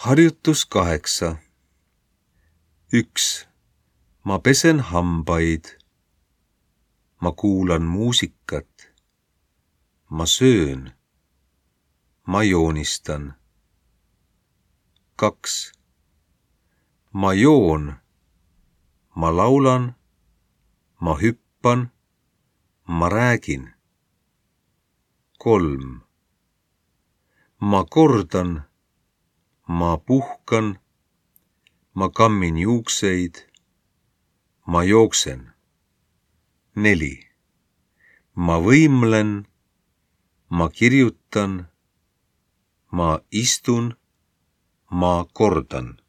Harjutus 8. 1. Ma pesen hambaid. Ma kuulan muusikat. Ma söön. Ma joonistan. 2. Ma joon. Ma laulan. Ma hüppan. Ma räägin. 3. Ma kordan. Ma puhkan. Ma kammin juukseid. Ma jooksen. 4. Ma võimlen. Ma kirjutan. Ma istun. Ma kordan.